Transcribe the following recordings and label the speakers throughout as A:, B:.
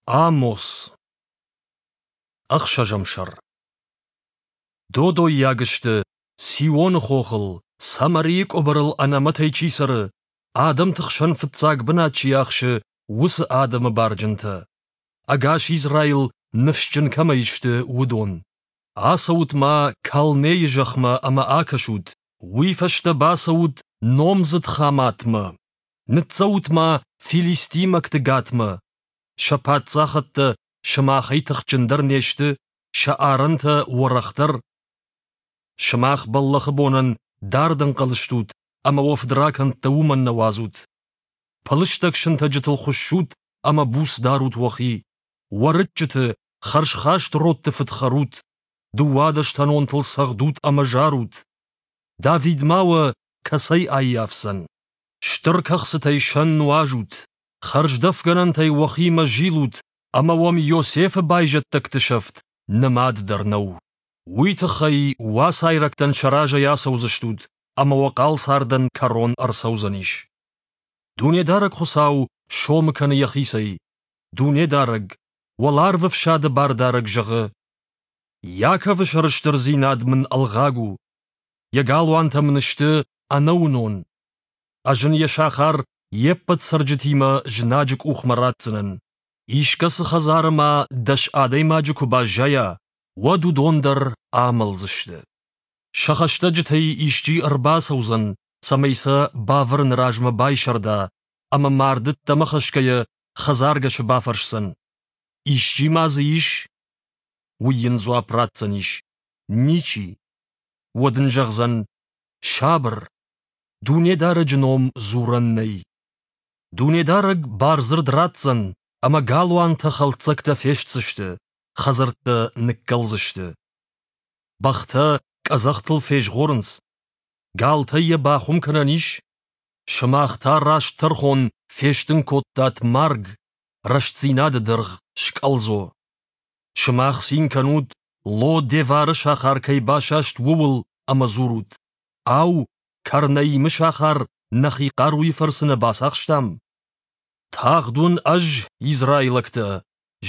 A: Амос. Ӕхсӕзӕм сӕр. Додоййаг сты, Сионы хохыл, Самарийы къуыбырыл ӕнӕмӕтӕй чи цӕры, адӕмты хсӕн фыццаг бынат чи ахсы, уыцы адӕмы барджынтӕ. Ӕгас Израил ныфсджын кӕмӕй сты, уыдон. Ацӕут-ма Калнейы зӕхмӕ ӕмӕ акӕсут, уый фӕстӕ бацӕут номдзыд Хаматмӕ. Ныццӕут-ма филистимӕгты Гатмӕ. Сӕ паддзахӕдтӕ сымахӕй тыхджындӕр не сты, сӕ арӕнтӕ уӕрӕхдӕр. Сымах бӕллӕхы бонӕн дард ӕнхъӕл стут ӕмӕ уӕ фыдракӕндтӕ уымӕн нӕ уадзут. Пылыстӕг сынтӕджытыл хуыссут ӕмӕ буц дарут уӕхи. Уӕрыччыты, хӕрзхаст родты фыд хӕрут, дыууадӕстӕнонтыл цӕгъдут ӕмӕ зарут. Давид ма уӕ кӕцӕй аййафдзӕн? Стыр кӕхцытӕй сӕн нуазут, хӕрздӕфгӕнӕнтӕй уӕхимӕ зилут ӕмӕ уӕм Иосифы байзӕддӕгты сӕфт нымад дӕр нӕу. Уый тыххӕй уацайрӕгтӕн сӕ разӕй ацӕудзыстут, ӕмӕ уӕ хъал цардӕн кӕрон ӕрцӕудзӕнис. Дунедарӕг Хуыцау сомы кӕны йӕхицӕй. Дунедарӕг, уӕларвы фсады бардарӕг зӕгъы: Иаковы сӕрыстырдзинад мын ӕлгъаг у, йӕ галуантӕ мын сты ӕнӕуынон. Ӕз ын йӕ сахар йе ппӕт цӕрджытимӕ знаджы къухмӕ ратдзынӕн. Искӕцы хӕдзары ма дӕс адӕймаджы куы баззайа, уӕд уыдон дӕр амӕлдзысты. Сӕ хӕстӕджытӕй исчи ӕрбацӕудзӕн, цӕмӕй сӕ бавӕрыны размӕ байсӕрда, ӕмӕ марды ӕддӕмӕ хӕсгӕйӕ хӕдзаргӕсы бафӕрсдзӕн: «Исчи ма дзы ис?» Уый йын дзуапп ратдзӕнис: «Ничи». Уӕд ын зӕгъдзӕн: «Сабыр, Дунедарӕджы ном дзурӕн нӕй. Дунедарӕг бардзырд ратдзӕн, ӕмӕ галуантӕ хӕлддзӕгтӕ фестдзысты, хӕдзӕрттӕ ныккӕлдзысты. Бӕхтӕ къӕдзӕхтыл фезгъорынц, галтӕй йӕ бахуым кӕнӕн ис? Сымах та раст тӕрхон фестын кодтат марг, рӕстдзинады дыргъ скъӕлдзо. Сымах цин кӕнут, Ло-Девары сахар кӕй басаст, ууыл ӕмӕ дзурут: Ау, Карнаимы сахар нӕхи хъаруйы фӕрцы нӕ бацахстам? Тагъд уын ӕз, израилӕгтӕ,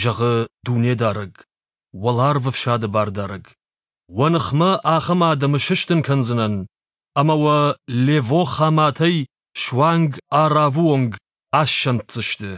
A: зӕгъы Дунедарӕг, уӕларвы фсады бардарӕг, уӕ ныхмӕ ахӕм адӕмы сыстын кӕндзынӕн, ӕмӕ уӕ Лево-Хаматӕй суанг Аравы онг ассӕнддзысты.